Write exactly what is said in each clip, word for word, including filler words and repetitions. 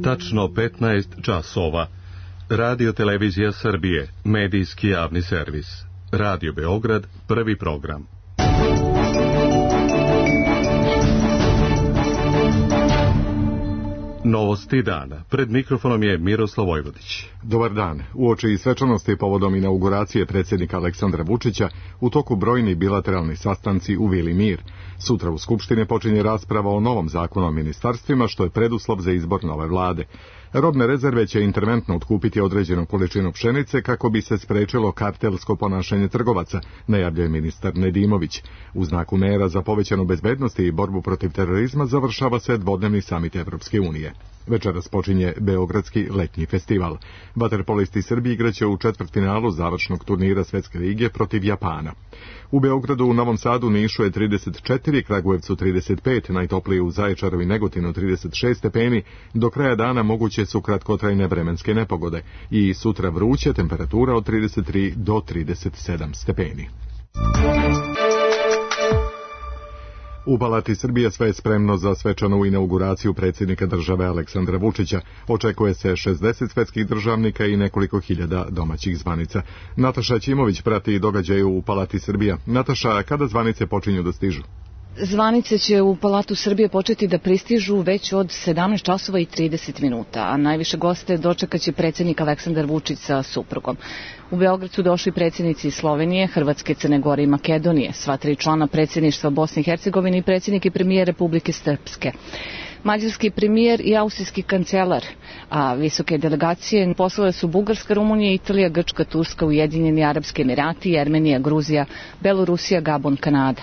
Tačno petnaest časova. Radio Televizija Srbije, medijski javni servis. Radio Beograd, prvi program. Novosti dana. Pred mikrofonom je Miroslav Vojvodić. Dobar dan. Uoči svečanosti povodom inauguracije predsjednika Aleksandra Vučića, u toku brojni bilateralni sastanci u Vili Mir. Sutra u Skupštini počinje rasprava o novom zakonu o ministarstvima, što je preduslov za izbor nove vlade. Robne rezerve će interventno otkupiti određenu količinu pšenice kako bi se sprečilo kartelsko ponašanje trgovaca, najavljuje ministar Nedimović. U znaku mera za povećanu bezbednost i borbu protiv terorizma završava se dvodnevni samit Evropske unije. Večeras počinje Beogradski letnji festival. Vaterpolisti Srbije igraće u četvrtfinalu završnog turnira Svetske lige protiv Japana. U Beogradu, u Novom Sadu, Nišu je trideset četiri, Kragujevcu trideset pet, najtoplije u Zaječaru i Negotinu trideset šest stepeni. Do kraja dana moguće su kratkotrajne vremenske nepogode i sutra vruće, temperatura od trideset tri do trideset sedam stepeni. U Palati Srbije sve je spremno za svečanu inauguraciju predsjednika države Aleksandra Vučića. Očekuje se šezdeset svetskih državnika i nekoliko hiljada domaćih zvanica. Nataša Ćimović prati događaje u Palati Srbija. Nataša, kada zvanice počinju da stižu? Zvanice će u Palatu Srbije početi da pristižu već od sedamnaest časova i trideset minuta, a najviše goste dočekaće predsjednik Aleksandar Vučić sa suprugom. U Beograd su došli predsjednici Slovenije, Hrvatske, Crne Gore i Makedonije, sva tri člana predsjedništva Bosne i Hercegovine i predsjednik i premijer Republike Srpske. Mađarski premijer i austrijski kancelar, a visoke delegacije poslale su Bugarska, Rumunija, Italija, Grčka, Turska, Ujedinjeni Arapski Emirati, Jermenija, Gruzija, Belorusija, Gabon, Kanada.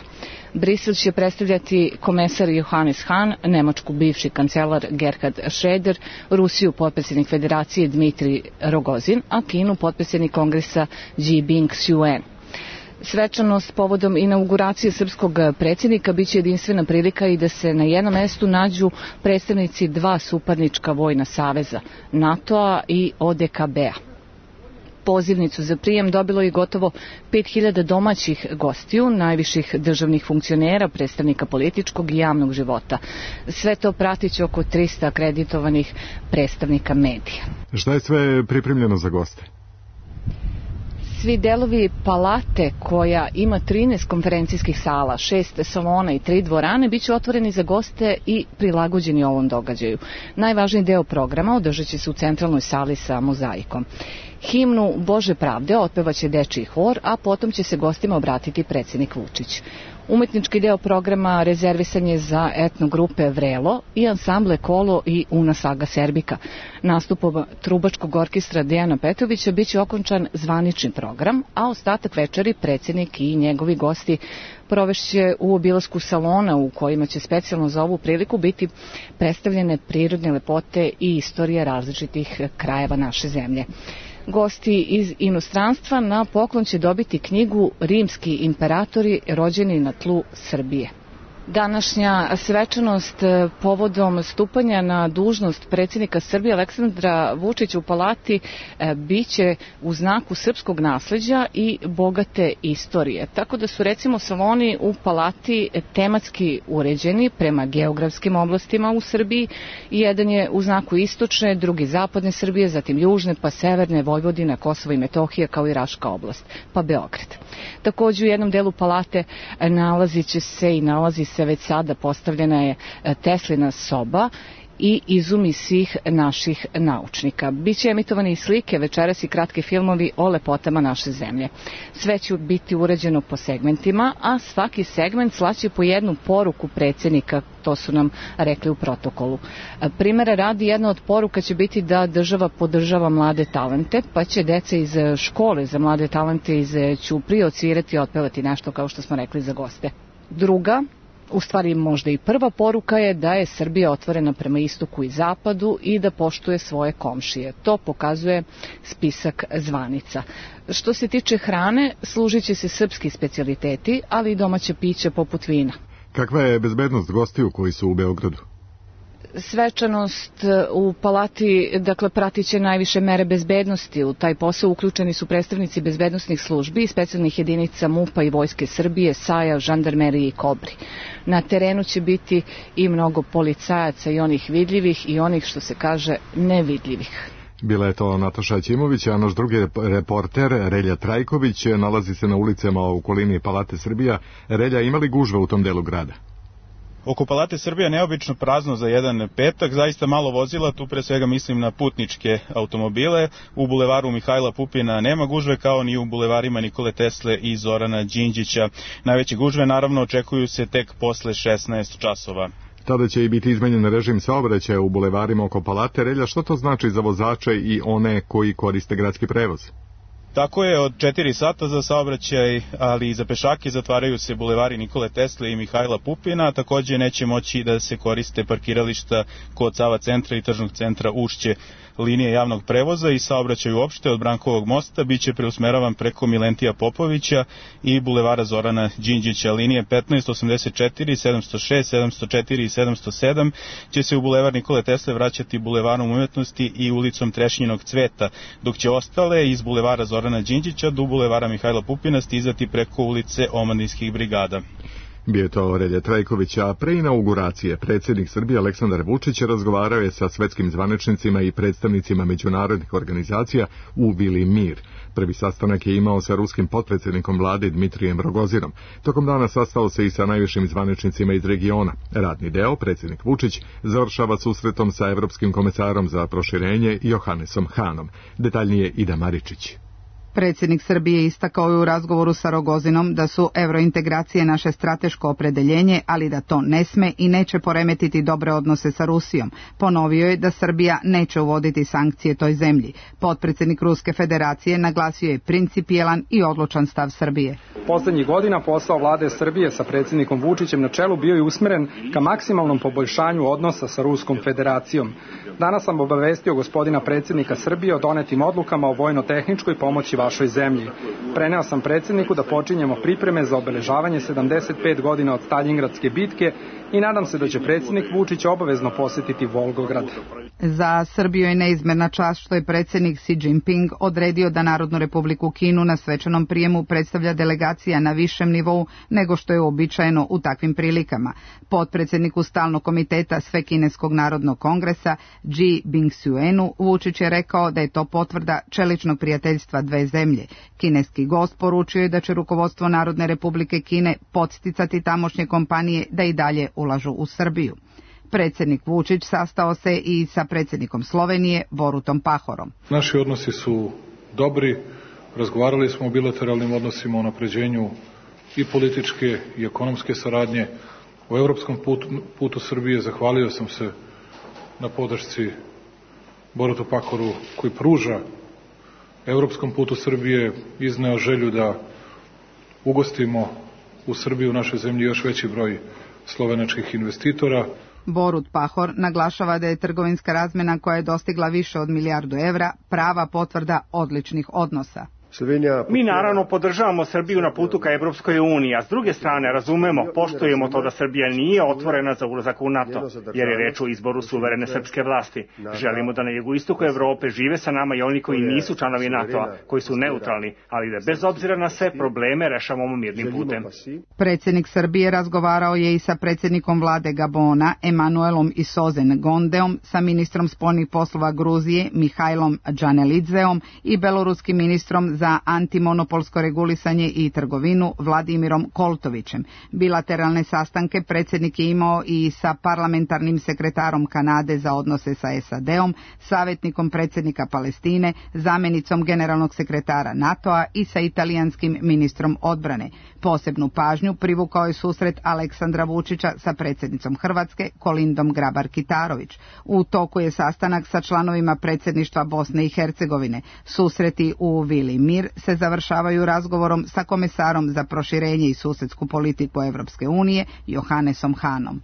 Brisel će predstavljati komesar Johannes Hahn, Nemačku bivši kancelar Gerhard Schröder, Rusiju potpredsjednik federacije Dmitrij Rogozin, a Kinu potpredsjednik kongresa Ji Bing-Suen. Svečanost povodom inauguracije srpskog predsjednika biće jedinstvena prilika i da se na jednom mestu nađu predstavnici dva suparnička vojna saveza, NATO-a i O D K B-a. Pozivnicu za prijem dobilo je gotovo pet hiljada domaćih gostiju, najviših državnih funkcionera, predstavnika političkog i javnog života. Sve to pratit će oko trista akreditovanih predstavnika medija. Šta je sve pripremljeno za goste? Svi delovi palate, koja ima trinaest konferencijskih sala, šest salona i tri dvorane, bit će otvoreni za goste i prilagođeni ovom događaju. Najvažniji deo programa održat će se u centralnoj sali sa mozaikom. Himnu Bože pravde otpevaće dečiji hor, a potom će se gostima obratiti predsjednik Vučić. Umetnički deo programa rezervisan je za etno grupe Vrelo i ansamble Kolo i Una Saga Serbika. Nastupom trubačkog orkestra Dejana Petrovića biće okončan zvanični program, a ostatak večeri predsjednik i njegovi gosti provešće u obilasku salona u kojima će specijalno za ovu priliku biti predstavljene prirodne lepote i istorije različitih krajeva naše zemlje. Gosti iz inostranstva na poklon će dobiti knjigu Rimski imperatori rođeni na tlu Srbije. Današnja svečanost povodom stupanja na dužnost predsjednika Srbije Aleksandra Vučića u Palati biće u znaku srpskog nasleđa i bogate istorije. Tako da su recimo saloni u Palati tematski uređeni prema geografskim oblastima u Srbiji. Jedan je u znaku istočne, drugi zapadne Srbije, zatim južne, pa severne, Vojvodina, Kosovo i Metohija, kao i Raška oblast, pa Beograd. Također u jednom delu Palate nalazit će se i nalazi se već sada postavljena je Teslina soba i izumi svih naših naučnika. Biće emitovane i slike, večeras i kratki filmovi o lepotama naše zemlje. Sve će biti urađeno po segmentima, a svaki segment slaće po jednu poruku predsjednika, to su nam rekli u protokolu. Primera radi, jedna od poruka će biti da država podržava mlade talente, pa će deca iz škole za mlade talente iz Ćuprije odsvirati i otpevati nešto, kao što smo rekli, za goste. Druga, u stvari možda i prva poruka, je da je Srbija otvorena prema istoku i zapadu i da poštuje svoje komšije. To pokazuje spisak zvanica. Što se tiče hrane, služit će se srpski specijaliteti, ali i domaće piće poput vina. Kakva je bezbednost gostiju koji su u Beogradu? svečanost u palati, dakle, pratit će najviše mere bezbednosti. U taj posao uključeni su predstavnici bezbednosnih službi, specijalnih jedinica MUP-a i Vojske Srbije, SAJ-a, žandarmerije i Kobri. Na terenu će biti i mnogo policajaca, i onih vidljivih i onih, što se kaže, nevidljivih. Bila je to Nataša Ćimović, a naš drugi reporter Relja Trajković nalazi se na ulicama u okolini Palate Srbija. Relja, ima li gužve u tom delu grada? Oko Palate Srbija neobično prazno za jedan petak, zaista malo vozila, tu pre svega mislim na putničke automobile. U bulevaru Mihajla Pupina nema gužve, kao ni u bulevarima Nikole Tesle i Zorana Đinđića. Najveće gužve naravno očekuju se tek posle šesnaest časova. Tada će i biti izmenjen režim saobraćaja u bulevarima oko Palate. Relja, što to znači za vozače i one koji koriste gradski prevoz? Tako je, od četiri sata za saobraćaj, ali i za pešake zatvaraju se bulevari Nikole Tesle i Mihajla Pupina. Takođe neće moći da se koriste parkirališta kod Sava centra i tržnog centra Ušće. Linije javnog prevoza i saobraćaj uopšte od Brankovog mosta biće preusmeravan preko Milentija Popovića i bulevara Zorana Đinđića. Linije petnaest, osamdeset četiri, sedamsto šest, sedamsto četiri i sedamsto sedam će se u bulevar Nikole Tesle vraćati bulevarom Umetnosti i ulicom Trešnjinog cveta, dok će ostale iz bulevara Zorana Đinđića do bulevara Mihajla Pupina stizati preko ulice Omladinskih brigada. Bio je to Relja Trajković, a pre inauguracije predsjednik Srbije Aleksandar Vučić razgovarao je sa svetskim zvaničnicima i predstavnicima međunarodnih organizacija u Vili Mir. Prvi sastanak je imao sa ruskim potpredsjednikom vlade Dmitrijem Rogozinom. Tokom dana sastao se i sa najvišim zvaničnicima iz regiona. Radni deo, predsjednik Vučić, završava susretom sa evropskim komesarom za proširenje Johannesom Hanom. Detaljnije Ida Maričić. Predsjednik Srbije istakao je u razgovoru sa Rogozinom da su evrointegracije naše strateško opredeljenje, ali da to ne sme i neće poremetiti dobre odnose sa Rusijom. Ponovio je da Srbija neće uvoditi sankcije toj zemlji. Potpredsjednik Ruske federacije naglasio je principijelan i odlučan stav Srbije. Poslednjih godina posao vlade Srbije sa predsjednikom Vučićem na čelu bio je usmeren ka maksimalnom poboljšanju odnosa sa Ruskom federacijom. Danas sam obavestio gospodina predsjednika Srbije o donetim odlukama o vojno-tehničkoj pomoći vašoj zemlji. Preneo sam predsjedniku da počinjemo pripreme za obeležavanje sedamdeset pet godina od Staljingradske bitke i nadam se da će predsjednik Vučić obavezno posjetiti Volgograd. Za Srbiju je neizmerna čast što je predsjednik Xi Jinping odredio da Narodnu republiku Kinu na svečanom prijemu predstavlja delegacija na višem nivou nego što je uobičajeno u takvim prilikama. Potpredsjedniku stalnog komiteta Svekineskog narodnog kongresa Ji Bingsuenu Vučić je rekao da je to potvrda čeličnog prijateljstva dve zemlje. Kineski gost poručio je da će rukovodstvo Narodne republike Kine podsticati tamošnje kompanije da i dalje ulažu u Srbiju. Predsjednik Vučić sastao se i sa predsjednikom Slovenije Borutom Pahorom. Naši odnosi su dobri, razgovarali smo o bilateralnim odnosima, o unapređenju i političke i ekonomske saradnje. U evropskom putu, putu Srbije zahvalio sam se na podršci Borutu Pahoru koji pruža evropskom putu Srbije, izneo želju da ugostimo u Srbiji, u našoj zemlji, još veći broj slovenačkih investitora. Borut Pahor naglašava da je trgovinska razmjena koja je dostigla više od milijardu evra prava potvrda odličnih odnosa. Mi naravno podržavamo Srbiju na putu ka Evropskoj uniji, a s druge strane razumemo, poštujemo to da Srbija nije otvorena za ulazak u NATO, jer je reč o izboru suverene srpske vlasti. Želimo da na jugoistoku Evrope žive sa nama i oni koji nisu članovi NATO-a, koji su neutralni, ali da bez obzira na sve probleme rešavamo mirnim putem. Predsjednik Srbije razgovarao je i sa predsjednikom vlade Gabona, Emanuelom Isozen Gondeom, sa ministrom spoljnih poslova Gruzije, Mihajlom Džanelidzeom i beloruskim ministrom za antimonopolsko regulisanje i trgovinu Vladimirom Koltovićem. Bilateralne sastanke predsjednik je imao i sa parlamentarnim sekretarom Kanade za odnose sa S A D-om, savjetnikom predsjednika Palestine, zamjenicom generalnog sekretara NATO-a i sa italijanskim ministrom odbrane. Posebnu pažnju privukao je susret Aleksandra Vučića sa predsjednicom Hrvatske Kolindom Grabar-Kitarović. U toku je sastanak sa članovima predsjedništva Bosne i Hercegovine. Susreti u Vili Mir se završavaju razgovorom sa komesarom za proširenje i susjedsku politiku Evropske unije Johannesom Hanom.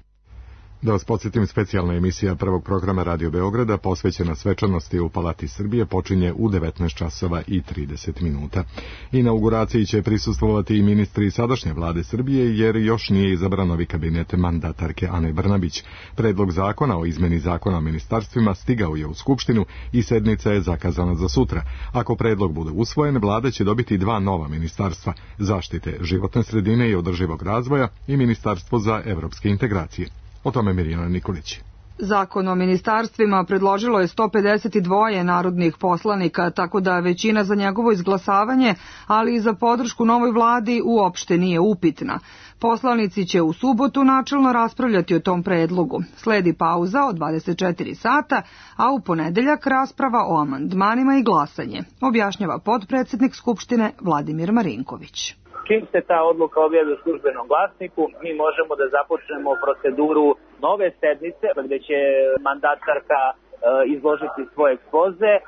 Da vas podsjetim, specijalna emisija prvog programa Radio Beograda posvećena svečanosti u Palati Srbije počinje u devetnaest časova i trideset minuta. Inauguraciji će prisustvovati i ministri sadašnje vlade Srbije, jer još nije izabran novi kabinet mandatarke Ane Brnabić. Predlog zakona o izmeni zakona o ministarstvima stigao je u Skupštinu i sednica je zakazana za sutra. Ako predlog bude usvojen, vlada će dobiti dva nova ministarstva: zaštite životne sredine i održivog razvoja i Ministarstvo za evropske integracije. O tome Mirjana Nikolić. Zakon o ministarstvima predložilo je sto pedeset dva narodnih poslanika, tako da većina za njegovo izglasavanje, ali i za podršku novoj vladi uopšte nije upitna. Poslanici će u subotu načelno raspravljati o tom predlogu. Sledi pauza od dvadeset četiri sata, a u ponedeljak rasprava o amandmanima i glasanje, objašnjava potpredsednik Skupštine Vladimir Marinković. Čim se ta odluka objavi u službenom glasniku, mi možemo da započnemo proceduru nove sednice, gde će mandatarka e, izložiti svoj ekspoze, e,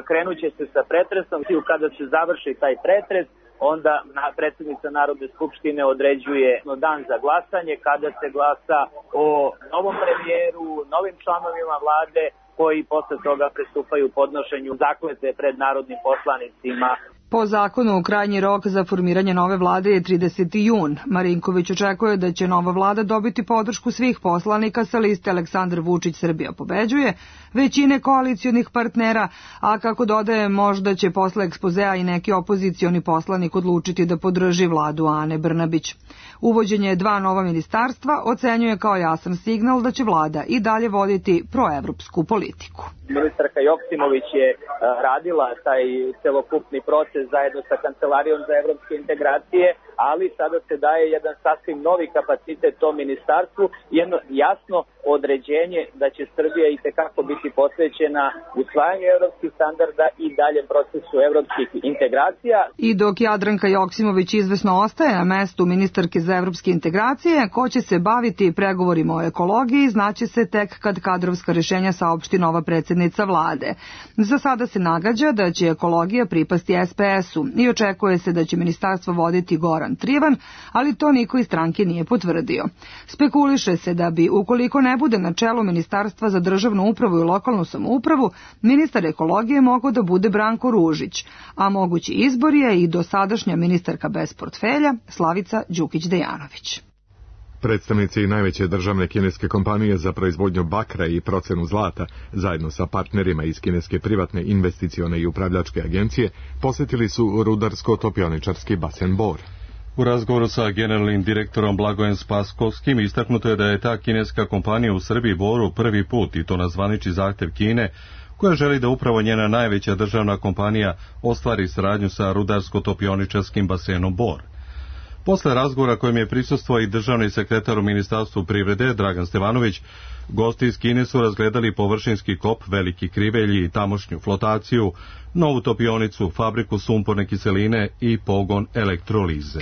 krenuće se sa pretresom i kada se završi taj pretres, onda predsjednica Narodne skupštine određuje dan za glasanje, kada se glasa o novom premijeru, novim članovima vlade, koji posle toga pristupaju podnošenju zakletve pred narodnim poslanicima. Po zakonu, krajnji rok za formiranje nove vlade je trideseti jun. Marinković očekuje da će nova vlada dobiti podršku svih poslanika sa liste Aleksandar Vučić Srbija pobeđuje, većine koalicionih partnera, a kako dodaje, možda će posle ekspozea i neki opozicioni poslanik odlučiti da podrži vladu Ane Brnabić. Uvođenje dva nova ministarstva ocenjuje kao jasan signal da će vlada i dalje voditi proevropsku politiku. Ministarka Joksimović je radila taj celokupni proces zajedno sa Kancelarijom za evropske integracije, ali sada se daje jedan sasvim novi kapacitet tom ministarstvu, jedno jasno određenje da će Srbija i tekako biti posvećena usvajanju evropskih standarda i daljem procesu evropskih integracija. I dok Jadranka Joksimović izvesno ostaje na mestu ministarke za evropske integracije, ko će se baviti pregovorima o ekologiji, znaće se tek kad kadrovska rešenja saopšti nova predsjednica vlade. Za sada se nagađa da će ekologija pripasti es pe esu i očekuje se da će ministarstvo voditi Goran Trivan, ali to niko iz stranke nije potvrdio. Spekuliše se da bi, ukoliko ne bude na čelu Ministarstva za državnu upravu i lokalnu samoupravu, ministar ekologije mogao da bude Branko Ružić, a mogući izbor je i dosadašnja ministarka bez portfelja Slavica Đukić-Dejanović. Predstavnici najveće državne kineske kompanije za proizvodnju bakra i procenu zlata, zajedno sa partnerima iz kineske privatne investicione i upravljačke agencije, posjetili su rudarsko-topioničarski basen Bor. U razgovoru sa generalnim direktorom Blagojem Spaskovskim istaknuto je da je ta kineska kompanija u Srbiji Boru prvi put, i to na zvanični zahtev Kine, koja želi da upravo njena najveća državna kompanija ostvari saradnju sa rudarsko-topioničarskim basenom Bor. Posle razgovora kojem je prisustvovao i državni sekretar u Ministarstvu privrede Dragan Stevanović, gosti iz Kine su razgledali površinski kop Veliki Krivelji i tamošnju flotaciju, novu topionicu, fabriku sumporne kiseline i pogon elektrolize.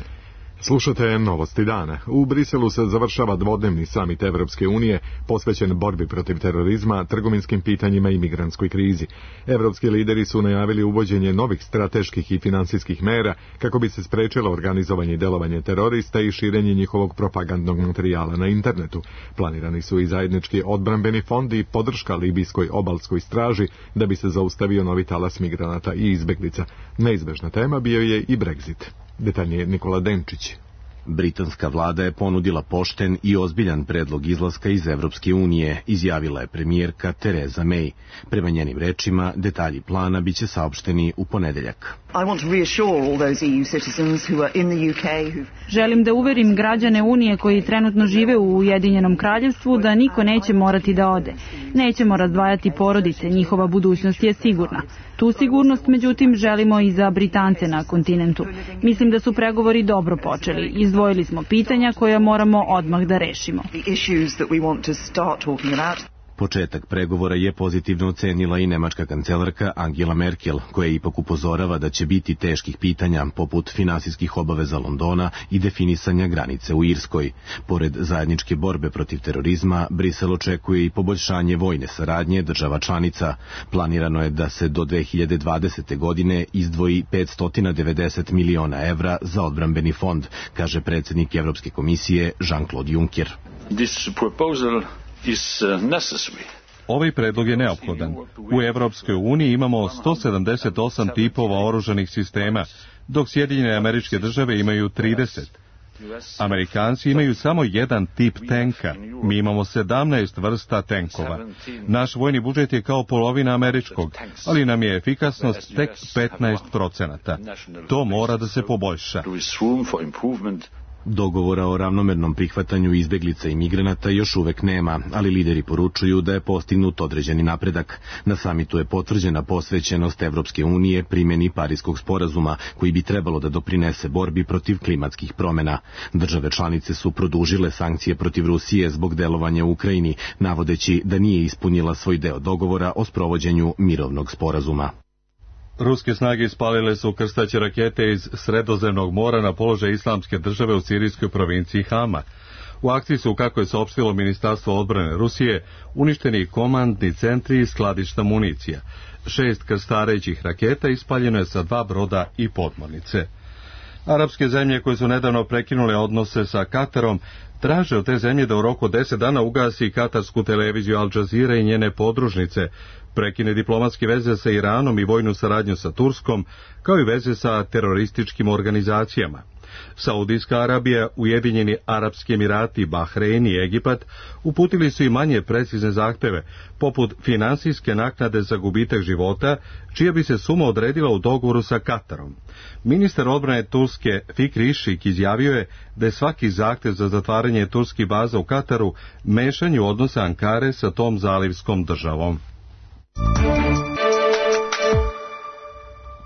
Slušate Novosti dana. U Briselu se završava dvodnevni samit Evropske unije posvećen borbi protiv terorizma, trgovinskim pitanjima i migrantskoj krizi. Evropski lideri su najavili uvođenje novih strateških i finansijskih mera kako bi se sprečilo organizovanje i delovanje terorista i širenje njihovog propagandnog materijala na internetu. Planirani su i zajednički odbrambeni fond i podrška libijskoj obalskoj straži da bi se zaustavio novi talas migranata i izbeglica. Neizbežna tema bio je i Brexit. Detaljnije Nikola Denčić. Britanska vlada je ponudila pošten i ozbiljan predlog izlaska iz Evropske unije, izjavila je premijerka Theresa May. Prema njenim rečima, detalji plana biće saopšteni u ponedeljak. Želim da uverim građane Unije koji trenutno žive u Ujedinjenom kraljevstvu da niko neće morati da ode. Nećemo razdvajati porodice, njihova budućnost je sigurna. Tu sigurnost, međutim, želimo i za Britance na kontinentu. Mislim da su pregovori dobro počeli. Izdvojili smo pitanja koja moramo odmah da rešimo. Početak pregovora je pozitivno ocenila i nemačka kancelarka Angela Merkel, koja ipak upozorava da će biti teških pitanja, poput finansijskih obaveza Londona i definisanja granice u Irskoj. Pored zajedničke borbe protiv terorizma, Brisel očekuje i poboljšanje vojne saradnje država članica. Planirano je da se do dve hiljade dvadesete. godine izdvoji petsto devedeset miliona evra za odbrambeni fond, kaže predsjednik Evropske komisije Jean-Claude Juncker. This proposal is necessary. Ovaj predlog je neophodan. U Evropskoj uniji imamo sto sedamdeset osam tipova oružanih sistema, dok Sjedinjene Američke Države imaju trideset. Amerikanci imaju samo jedan tip tenka, mi imamo sedamnaest vrsta tenkova. Naš vojni budžet je kao polovina američkog, ali nam je efikasnost tek petnaest procenata. To mora da se poboljša. Dogovora o ravnomernom prihvatanju izbeglica i migranata još uvek nema, ali lideri poručuju da je postignut određeni napredak. Na samitu je potvrđena posvećenost Evropske unije primjeni Pariskog sporazuma, koji bi trebalo da doprinese borbi protiv klimatskih promjena. Države članice su produžile sankcije protiv Rusije zbog delovanja u Ukrajini, navodeći da nije ispunila svoj deo dogovora o sprovođenju mirovnog sporazuma. Ruske snage ispalile su krstaće rakete iz Sredozemnog mora na položaj Islamske države u sirijskoj provinciji Hama. U akciji su, kako je saopštilo Ministarstvo odbrane Rusije, uništeni komandni centri i skladišta municija. Šest krstarećih raketa ispaljeno je sa dva broda i podmornice. Arapske zemlje koje su nedavno prekinule odnose sa Katarom traže od te zemlje da u roku deset dana ugasi katarsku televiziju Al Jazeera i njene podružnice, prekine diplomatske veze sa Iranom i vojnu saradnju sa Turskom, kao i veze sa terorističkim organizacijama. Saudijska Arabija, Ujedinjeni Arapski Emirati, Bahrein i Egipat uputili su i manje precizne zahteve, poput finansijske naknade za gubitak života, čija bi se suma odredila u dogovoru sa Katarom. Ministar odbrane Turske Fikri Išik izjavio je da je svaki zahtev za zatvaranje turskih baza u Kataru mešanje u odnose Ankare sa tom zalivskom državom.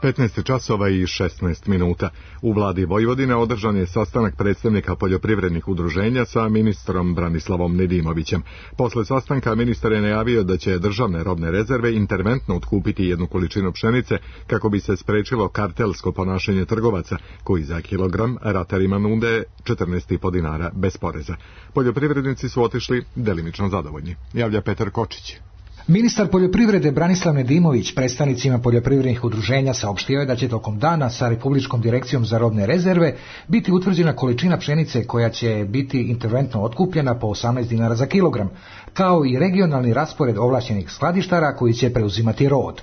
petnaest časova i šesnaest minuta. U vladi Vojvodine održan je sastanak predstavnika poljoprivrednih udruženja sa ministrom Branislavom Nedimovićem. Posle sastanka ministar je najavio da će državne robne rezerve interventno otkupiti jednu količinu pšenice kako bi se sprečilo kartelsko ponašanje trgovaca koji za kilogram ratarima nude četrnaest i po dinara bez poreza. Poljoprivrednici su otišli delimično zadovoljni. Javlja Petar Kočić. Ministar poljoprivrede Branislav Nedimović predstavnicima poljoprivrednih udruženja saopštio je da će tokom dana sa Republičkom direkcijom za robne rezerve biti utvrđena količina pšenice koja će biti interventno otkupljena po osamnaest dinara za kilogram, kao i regionalni raspored ovlašćenih skladištara koji će preuzimati rod.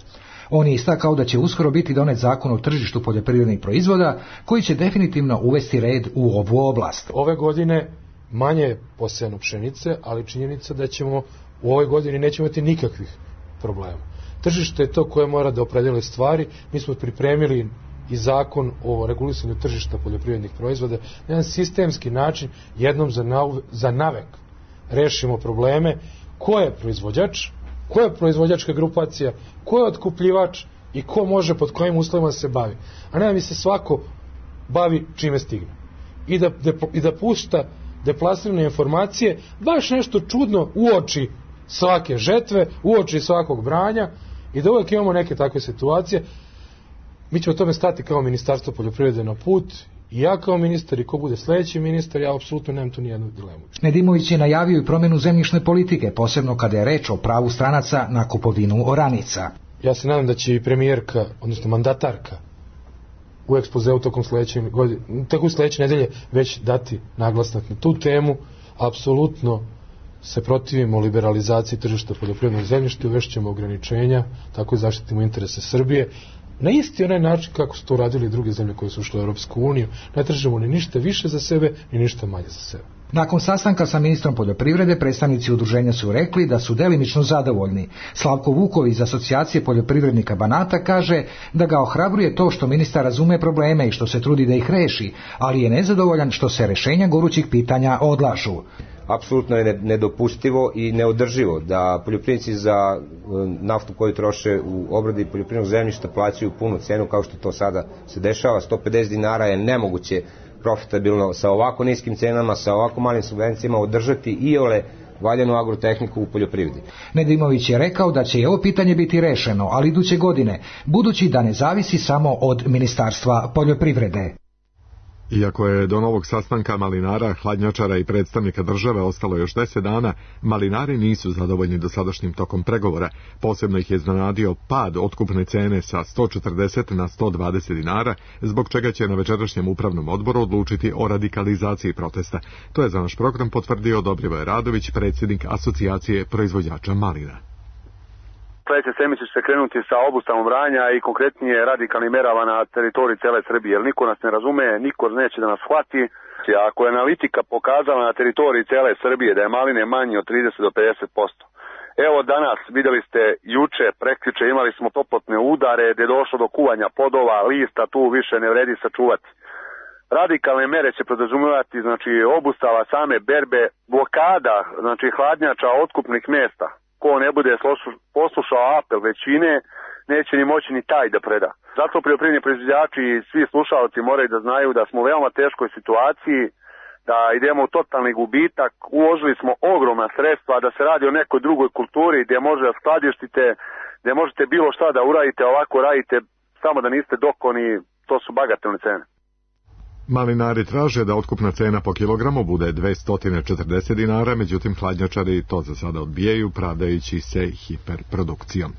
On je istakao da će uskoro biti donet zakon o tržištu poljoprivrednih proizvoda koji će definitivno uvesti red u ovu oblast. Ove godine manje posejano pšenice, ali činjenica da ćemo u ovoj godini nećemo imati nikakvih problema. Tržište je to koje mora da opredeli stvari. Mi smo pripremili i zakon o regulisanju tržišta poljoprivrednih proizvoda na jedan sistemski način, jednom za, nav, za navek rešimo probleme ko je proizvođač, ko je proizvođačka grupacija, ko je otkupljivač i ko može pod kojim uslovima se bavi. A ne da mi se svako bavi čime stigne. I da, de, i da pušta deplasirane informacije, baš nešto čudno uoči svake žetve, uoči svakog branja i da uvijek imamo neke takve situacije. Mi ćemo tome stati kao Ministarstvo poljoprivrede na put i ja kao ministar i ko bude sljedeći ministar, ja apsolutno nemam tu nijednu dilemu. Nedimović je najavio i promjenu zemljišne politike, posebno kada je reč o pravu stranaca na kupovinu oranica. Ja se nadam da će i premijerka, odnosno mandatarka, u ekspozeu tokom sljedeće godine, tako sljedeće nedelje već dati naglasnak na tu temu. Apsolutno se protivimo liberalizaciji tržišta poljoprivrednog zemljišta, uvešćemo ograničenja, tako i zaštitimo interese Srbije. Na isti onaj način kako su to radili druge zemlje koje su ušle u Europsku uniju, ne tražimo ni ništa više za sebe, ni ništa manje za sebe. Nakon sastanka sa ministrom poljoprivrede, predstavnici udruženja su rekli da su delimično zadovoljni. Slavko Vuković iz Asocijacije poljoprivrednika Banata kaže da ga ohrabruje to što ministar razume probleme i što se trudi da ih reši, ali je nezadovoljan što se rešenja gorućih pitanja odlažu. Apsolutno je nedopustivo i neodrživo da poljoprivrednici za naftu koju troše u obradi poljoprivrednog zemljišta plaćaju punu cenu kao što to sada se dešava. sto pedeset dinara je nemoguće profitabilno sa ovako niskim cenama, sa ovako malim subvencijama održati i ole valjanu agrotehniku u poljoprivredi. Nedimović je rekao da će i ovo pitanje biti rešeno, ali iduće godine, budući da ne zavisi samo od Ministarstva poljoprivrede. Iako je do novog sastanka malinara, hladnjačara i predstavnika države ostalo još deset dana, malinari nisu zadovoljni dosadašnjim tokom pregovora. Posebno ih je iznenadio pad otkupne cene sa sto četrdeset na sto dvadeset dinara, zbog čega će na večerašnjem upravnom odboru odlučiti o radikalizaciji protesta. To je za naš program potvrdio Dobrivoje Radović, predsjednik Asocijacije proizvođača malina. Sledeće sedmice će se krenuti sa obustavom branja i konkretnije radikalnim merama na teritoriji cele Srbije, jer niko nas ne razume, niko neće da nas shvati. Ako je analitika pokazala na teritoriji cele Srbije da je maline manji od trideset do pedeset posto, evo danas, videli ste, juče, prekjuče imali smo toplotne udare gde je došlo do kuvanja podova, lista, tu više ne vredi sačuvati. Radikalne mere će podrazumevati, znači, obustava same berbe, blokada, znači, hladnjača otkupnih mesta. Ko ne bude poslušao apel većine, neće ni moći ni taj da preda. Zato poljoprivredni proizvođači i svi slušalci moraju da znaju da smo u veoma teškoj situaciji, da idemo u totalni gubitak, uložili smo ogromna sredstva, da se radi o nekoj drugoj kulturi gdje može da skladištite, gdje možete bilo šta da uradite, ovako radite, samo da niste dokoni, to su bagatelne cene. Malinari traže da otkupna cena po kilogramu bude dvesta četrdeset dinara, međutim hladnjačari to za sada odbijaju, pravdajući se hiperprodukcijom.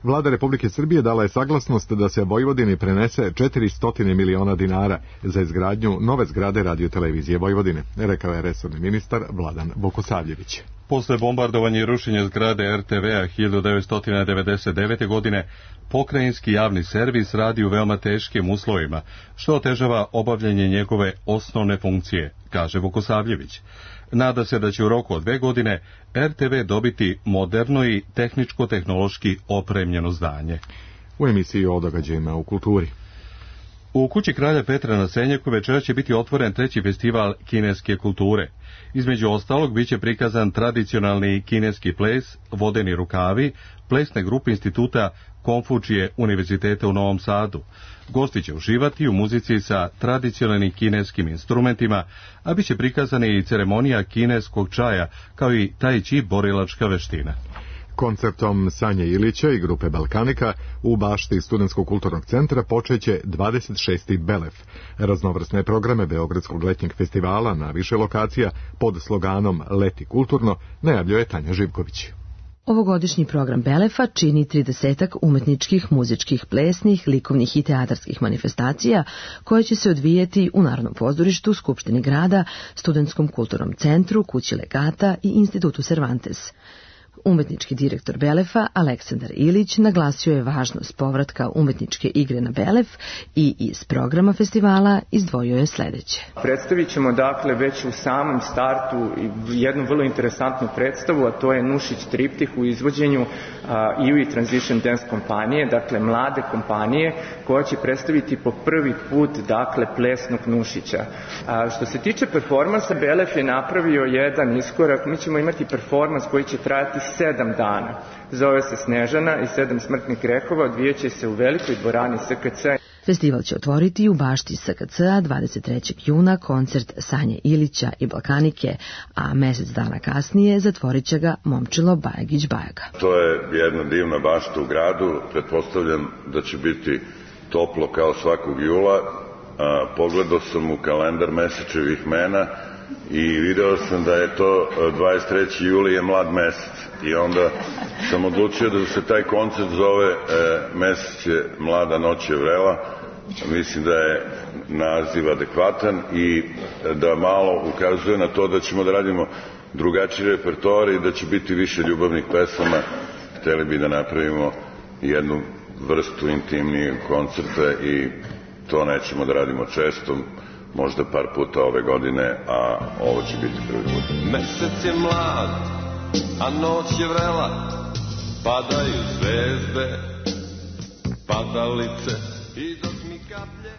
Vlada Republike Srbije dala je saglasnost da se Vojvodini prenese četiristo miliona dinara za izgradnju nove zgrade radiotelevizije Vojvodine, rekao je resorni ministar Vladan Vukosavljević. Posle bombardovanja i rušenja zgrade er te ve-a hiljadu devetsto devedeset devete. godine, pokrajinski javni servis radi u veoma teškim uslovima, što otežava obavljanje njegove osnovne funkcije, kaže Vukosavljević. Nada se da će u roku od dve godine er te ve dobiti moderno i tehničko-tehnološki opremljeno zdanje. U emisiji o događajima u kulturi. U kući kralja Petra na Senjaku večera će biti otvoren treći festival kineske kulture. Između ostalog biće prikazan tradicionalni kineski ples, vodeni rukavi, plesne grupe instituta Konfučije Univerziteta u Novom Sadu. Gosti će uživati u muzici sa tradicionalnim kineskim instrumentima, a bit će prikazana i ceremonija kineskog čaja, kao i tai chi borilačka veština. Koncertom Sanje Ilića i grupe Balkanika u bašti Studentskog kulturnog centra počeće dvadeset šesti Belef. Raznovrsne programe Beogradskog letnjeg festivala na više lokacija pod sloganom Leti kulturno najavljuje Tanja Živković. Ovogodišnji program Belefa čini tridesetak umetničkih, muzičkih, plesnih, likovnih i teatarskih manifestacija koje će se odvijeti u Narodnom pozorištu, Skupštini grada, Studentskom kulturnom centru, Kući legata i Institutu Cervantes. Umetnički direktor Belefa, Aleksandar Ilić, naglasio je važnost povratka umetničke igre na Belef i iz programa festivala izdvojio je sljedeće. Predstavit ćemo dakle već u samom startu jednu vrlo interesantnu predstavu, a to je Nušić triptih u izvođenju I U I Transition Dance kompanije, dakle mlade kompanije koja će predstaviti po prvi put dakle plesnog Nušića. A, što se tiče performansa, Belef je napravio jedan iskorak, mi ćemo imati performans koji će trajati sedam dana. Zove se Snežana i sedam smrtnih grehova, odvijeće se u velikoj dvorani S K C. Festival će otvoriti u bašti S K C-a dvadeset trećeg juna koncert Sanje Ilića i Balkanike, a mjesec dana kasnije zatvorit će ga Momčilo Bajagić-Bajaga. To je jedna divna bašta u gradu, pretpostavljam da će biti toplo kao svakog jula. A, pogledao sam u kalendar mesečevih mena i video sam da je to dvadeset treći juli je mlad mesec i onda sam odlučio da se taj koncert zove e, Mesec je mlada, noć je vrela. Mislim da je naziv adekvatan i da malo ukazuje na to da ćemo da radimo drugačiji repertoar i da će biti više ljubavnih pesama. Hteli bi da napravimo jednu vrstu intimnijeg koncerta i to nećemo da radimo često, možda par puta ove godine, a ovo će biti prvi put. Mesec je mlad, a noć je vrela, padaju zvezde, padalice i dok mi kaplje.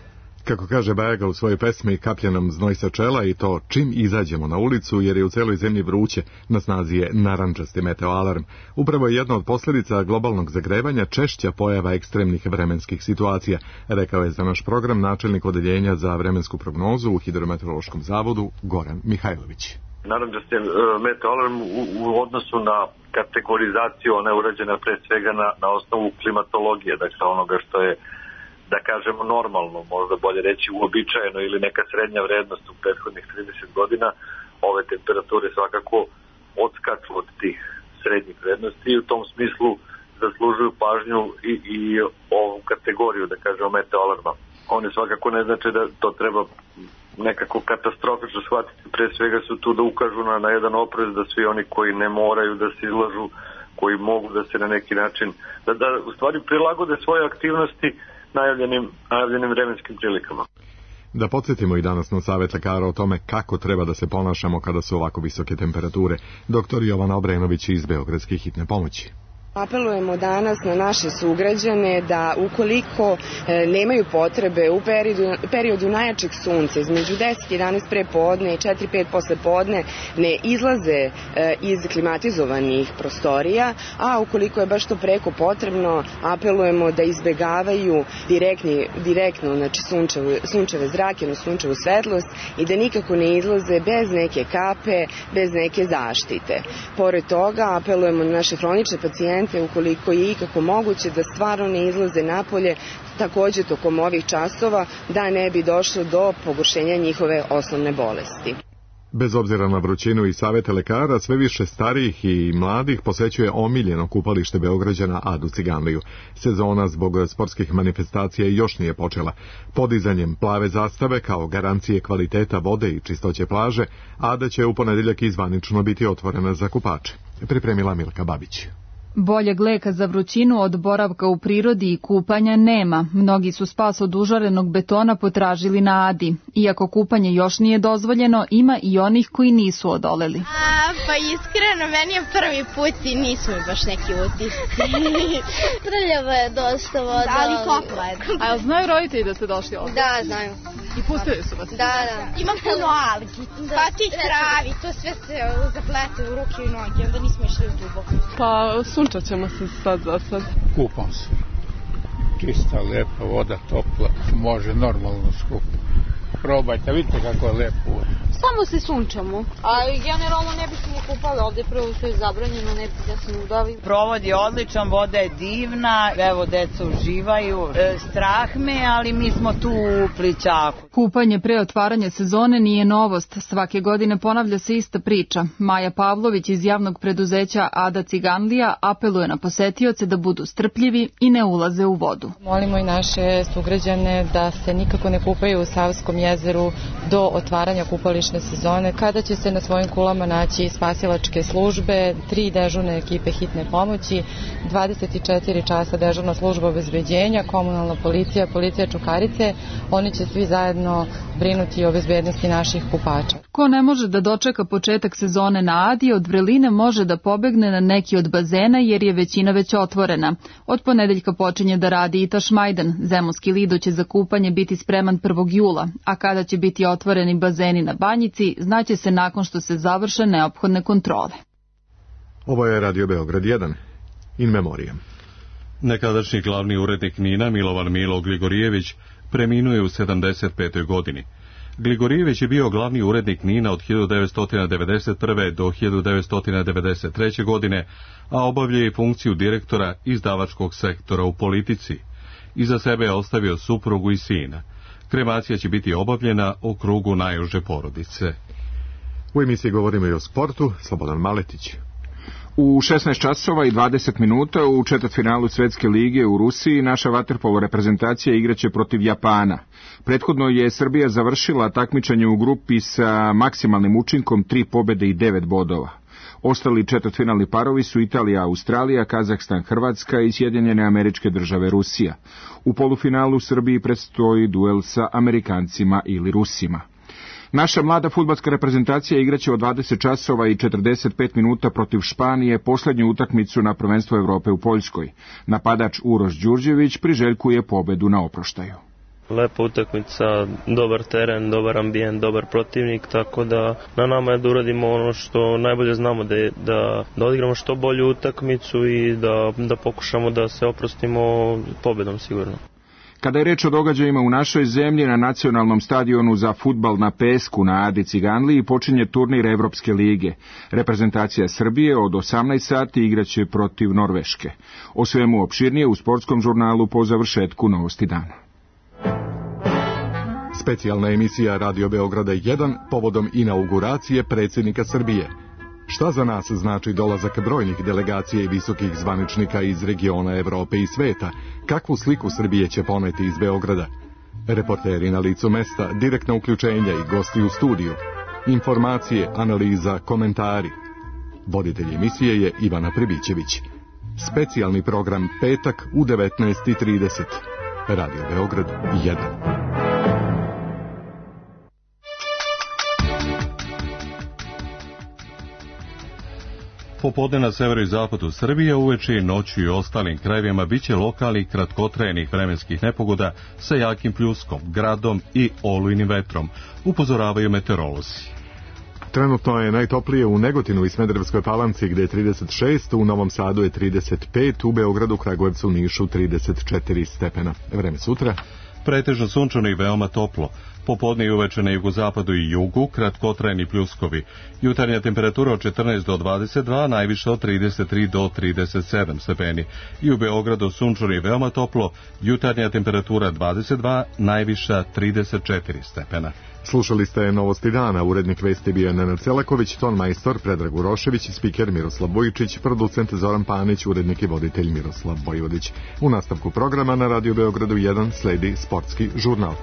Kako kaže Bajaga u svojoj pesmi Kaplje nam znoj sa čela, i to čim izađemo na ulicu, jer je u celoj zemlji vruće, na snazi je narandžasti meteoalarm. Upravo je jedna od posljedica globalnog zagrevanja češća pojava ekstremnih vremenskih situacija, rekao je za naš program načelnik odeljenja za vremensku prognozu u Hidrometeorološkom zavodu Goran Mihajlović. Narandžasti meteoalarm u, u odnosu na kategorizaciju, ona je urađena pre svega na, na osnovu klimatologije, dakle onoga što je da kažemo normalno, možda bolje reći uobičajeno ili neka srednja vrednost u prethodnih trideset godina, ove temperature svakako odskaču od tih srednjih vrednosti i u tom smislu zaslužuju pažnju i, i ovu kategoriju, da kažemo, meteoalarma. One svakako ne znači da to treba nekako katastrofično shvatiti, pre svega su tu da ukažu na, na jedan oprez, da svi oni koji ne moraju da se izlažu, koji mogu da se na neki način, da, da u stvari prilagode svoje aktivnosti najavljenim, najavljenim vremenskim prilikama. Da podsjetimo i danas na savjet lekara o tome kako treba da se ponašamo kada su ovako visoke temperature. Doktor Jovana Obrenović iz Beogradske hitne pomoći. Apelujemo danas na naše sugrađane da ukoliko e, nemaju potrebe u periodu, periodu najjačeg sunca između deset i jedanaest pre podne i četiri pet posle podne ne izlaze e, iz klimatizovanih prostorija, a ukoliko je baš to preko potrebno, apelujemo da izbegavaju direktni, direktno znači sunčeve, sunčeve zrake, no sunčevu svetlost i da nikako ne izlaze bez neke kape, bez neke zaštite. Pored toga apelujemo na naše hronične pacijente ukoliko je ikako moguće da stvarno ne izlaze napolje takođe tokom ovih časova da ne bi došlo do pogoršenja njihove osnovne bolesti. Bez obzira na vrućinu i savete lekara, sve više starijih i mladih posećuje omiljeno kupalište Beograđana Adu Ciganliju. Sezona zbog sportskih manifestacija još nije počela. Podizanjem plave zastave kao garancije kvaliteta vode i čistoće plaže, Ada će u ponedeljak izvanično biti otvorena za kupače. Pripremila Milka Babić. Boljeg leka za vrućinu od boravka u prirodi i kupanja nema. Mnogi su spas od užarenog betona potražili na Adi. Iako kupanje još nije dozvoljeno, ima i onih koji nisu odoleli. A, pa iskreno, meni je prvi put i nisu mi baš neki utisci. Prljava je dosta voda. Da, ali topla je. A jel znaju roditelji da ste došli ovdje? Da, znaju. I pustili su vas? Da, da. Ima puno algi, pa ti travi, to sve se zaplete u ruke i noge, onda nismo išli u duboko. Pa sunčat ćemo se sad za sad. Kupam se. Čista, lepa voda, topla, može normalno skupo. Probajte, vidite kako je lepo. Samo se sunčamo, a generalno ne bi se ni kupali ovdje, prvo što je zabranjeno, ne bi da se udavi. Provod je odličan, voda je divna, evo deca uživaju, e, strah me, ali mi smo tu u plićaku. Kupanje pre otvaranja sezone nije novost, svake godine ponavlja se ista priča. Maja Pavlović iz javnog preduzeća Ada Ciganlija apeluje na posetioce da budu strpljivi i ne ulaze u vodu. Molimo i naše sugrađane da se nikako ne kupaju u Savskom jezeru do otvaranja kupališne sezone, kada će se na svojim kulama naći spasilačke službe, tri dežurne ekipe hitne pomoći, dvadeset četiri časa dežurna služba obezbeđenja, komunalna policija, policija Čukarice. Oni će svi zajedno brinuti o bezbednosti naših kupača. Ko ne može da dočeka početak sezone na Adi, od vreline može da pobegne na neki od bazena jer je većina već otvorena. Od ponedeljka počinje da radi i Tašmajdan. Zemunski lido će za kupanje biti spreman prvog jula, a kada će biti otvoreni bazeni na Banjici, znaće se nakon što se završe neophodne kontrole. Ovo je Radio Beograd jedan. In memoriam. Nekadašnji glavni urednik NIN-a Milovan Milo Gligorijević preminuo je u sedamdeset petoj godini. Gligorijević je bio glavni urednik NIN-a od hiljadu devetsto devedeset prve. do hiljadu devetsto devedeset treće. godine, a obavlja i funkciju direktora izdavačkog sektora u Politici. Iza sebe je ostavio suprugu i sina. Kremacija će biti obavljena u krugu najuže porodice. U emisiji govorimo i o sportu. Slobodan Maletić. U šesnaest časova i dvadeset minuta u četvrtfinalu Svetske lige u Rusiji naša vaterpolo reprezentacija igraće protiv Japana. Prethodno je Srbija završila takmičenje u grupi sa maksimalnim učinkom tri pobede i devet bodova. Ostali četvrtfinalni parovi su Italija, Australija, Kazahstan, Hrvatska i Sjedinjene Američke Države, Rusija. U polufinalu Srbiji predstoji duel sa Amerikancima ili Rusima. Naša mlada fudbalska reprezentacija igraće od dvadeset časova i četrdeset pet minuta protiv Španije posljednju utakmicu na prvenstvu Evrope u Poljskoj. Napadač Uroš Đurđević priželjkuje pobedu na oproštaju. Lepa utakmica, dobar teren, dobar ambijent, dobar protivnik, tako da na nama je da uradimo ono što najbolje znamo, da, je, da, da odigramo što bolju utakmicu i da, da pokušamo da se oprostimo pobedom sigurno. Kada je reč o događajima u našoj zemlji, na nacionalnom stadionu za fudbal na pesku na Adi Ciganliji počinje turnir Evropske lige. Reprezentacija Srbije od osamnaest sati igraće protiv Norveške. O svemu opširnije u sportskom žurnalu po završetku Novosti dana. Specijalna emisija Radio Beograda jedan povodom inauguracije predsjednika Srbije. Šta za nas znači dolazak brojnih delegacija i visokih zvaničnika iz regiona Evrope i sveta? Kakvu sliku Srbije će poneti iz Beograda? Reporteri na licu mesta, direktna uključenja i gosti u studiju. Informacije, analiza, komentari. Voditelj emisije je Ivana Prebićević. Specijalni program petak u devetnaest i trideset. Radio Beograd jedan. Popodne na severu i zapadu Srbije, uveče i noću i ostalim krajevima biće lokalnih kratkotrajenih vremenskih nepogoda sa jakim pljuskom, gradom i olujnim vetrom, upozoravaju meteorolozi. Trenutno je najtoplije u Negotinu i Smederevskoj Palanci gdje je trideset šest, u Novom Sadu je trideset pet, u Beogradu, Kragujevcu, Nišu trideset četiri stepena. Vreme sutra? Pretežno sunčano i veoma toplo. Popodne i uveče na jugozapadu i jugu kratkotrajni pljuskovi. Jutarnja temperatura od četrnaest do dvadeset dva, najviša od trideset tri do trideset sedam stepeni. I u Beogradu sunčano i veoma toplo, jutarnja temperatura dvadeset dva, najviša trideset četiri stepena. Slušali ste Novosti dana, urednik vesti bio Nenad Celaković, ton majstor Predrag Urošević, spiker Miroslav Bojičić, producent Zoran Panić, urednik i voditelj Miroslav Vojvodić. U nastavku programa na Radio Beogradu jedan sledi sportski žurnal.